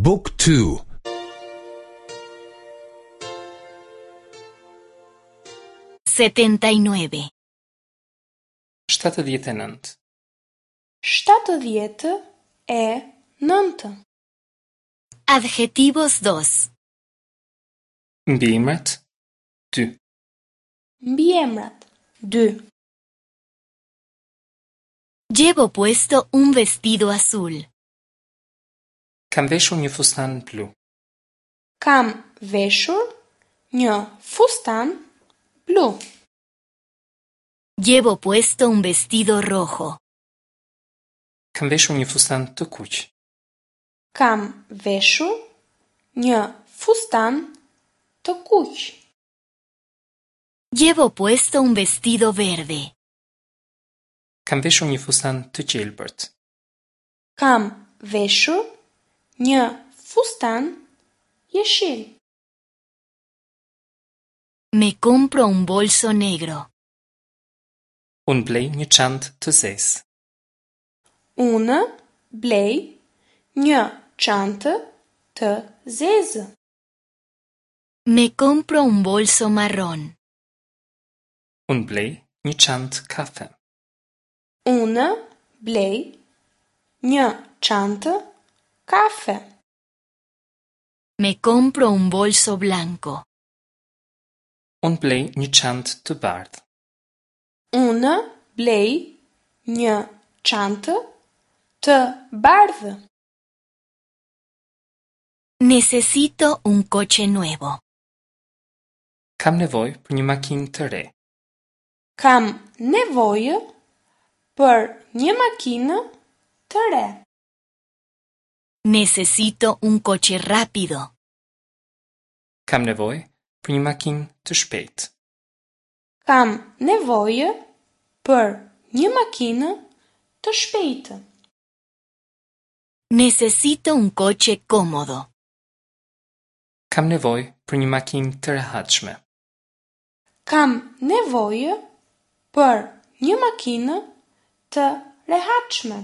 บุ๊กทู 79. 79. 79. Adjetivos 2. Mbiemrat 2. Mbiemrat 2. Llevo puesto un vestido azul. Kam veshur një fustan blu. Kam veshur një fustan blu. Llevo puesto un vestido rojo. Kam veshur një fustan të kuq. Kam veshur një fustan të kuq. Llevo puesto un vestido verde. Kam veshur një fustan të gjelbërt. Kam veshur një fustan jeshil. Me compro un bolso negro. Unë blej një çantë të zezë. Unë blej një çantë të zezë. Me compro un bolso marrón. Unë blej një çantë kafe. Unë blej një çantë kafe. Me compro un bolso blanco. Unë blej një çantë të bardhë. Unë blej një çantë të bardhë. Necesito un coche nuevo. Kam nevojë për një makinë të re. Kam nevojë për një makinë të re. Necesito un coche rápido. Kam nevojë për një makinë të shpejtë. Kam nevojë për një makinë të shpejtë. Necesito un coche cómodo. Kam nevojë për një makinë të rehatshme. Kam nevojë për një makinë të rehatshme.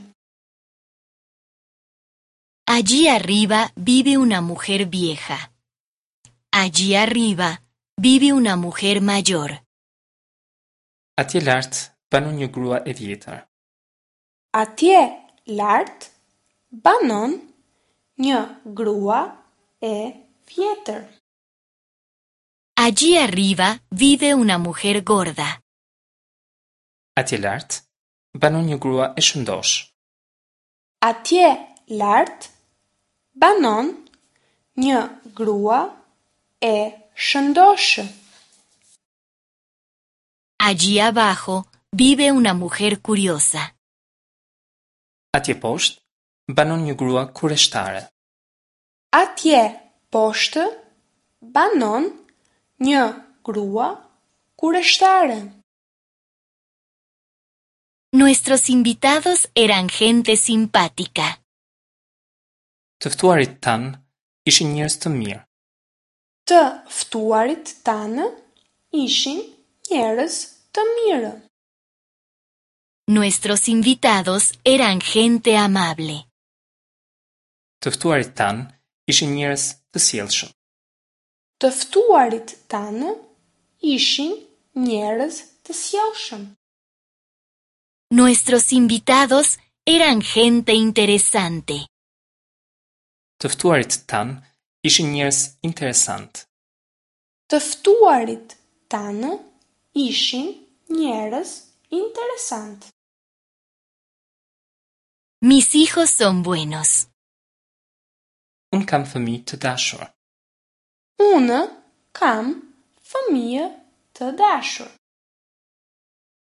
Allí arriba vive una mujer vieja. Allí arriba vive una mujer mayor. Atje lart banon një grua e vjetër. Atje lart banon një grua e vjetër. Allí arriba vive una mujer gorda. Atje lart banon një grua e shëndoshë. Atje lart banon një grua e shëndoshë. Allí abajo vive una mujer curiosa. Atje poshtë banon një grua kureshtare. Atje poshtë banon një grua kureshtare. Nuestros invitados eran gente simpática. Të ftuarit tanë ishin njerëz të mirë. Të ftuarit tanë ishin njerëz të mirë. Nuestros invitados eran gente amable. Të ftuarit tanë ishin njerëz të sjellshëm. Të ftuarit tanë ishin njerëz të sjellshëm. Nuestros invitados eran gente interesante. Të ftuarit tanë ishin njerëz interesant. Të ftuarit tanë ishin njerëz interesant. Mis hijos son buenos. Unë kam fëmijë të dashur. Unë kam fëmijë të dashur.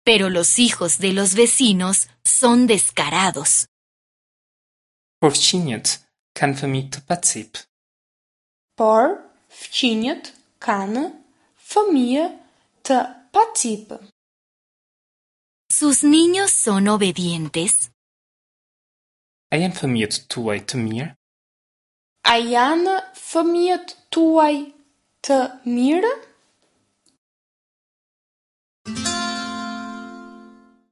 Pero los hijos de los vecinos son descarados. Por fqinjët kanë fëmijë të pacipë. Por fqinjët kanë fëmijë të pacipë. ¿Sus niños son obedientes? A janë fëmijët tuaj të mirë? A janë fëmijët tuaj të mirë?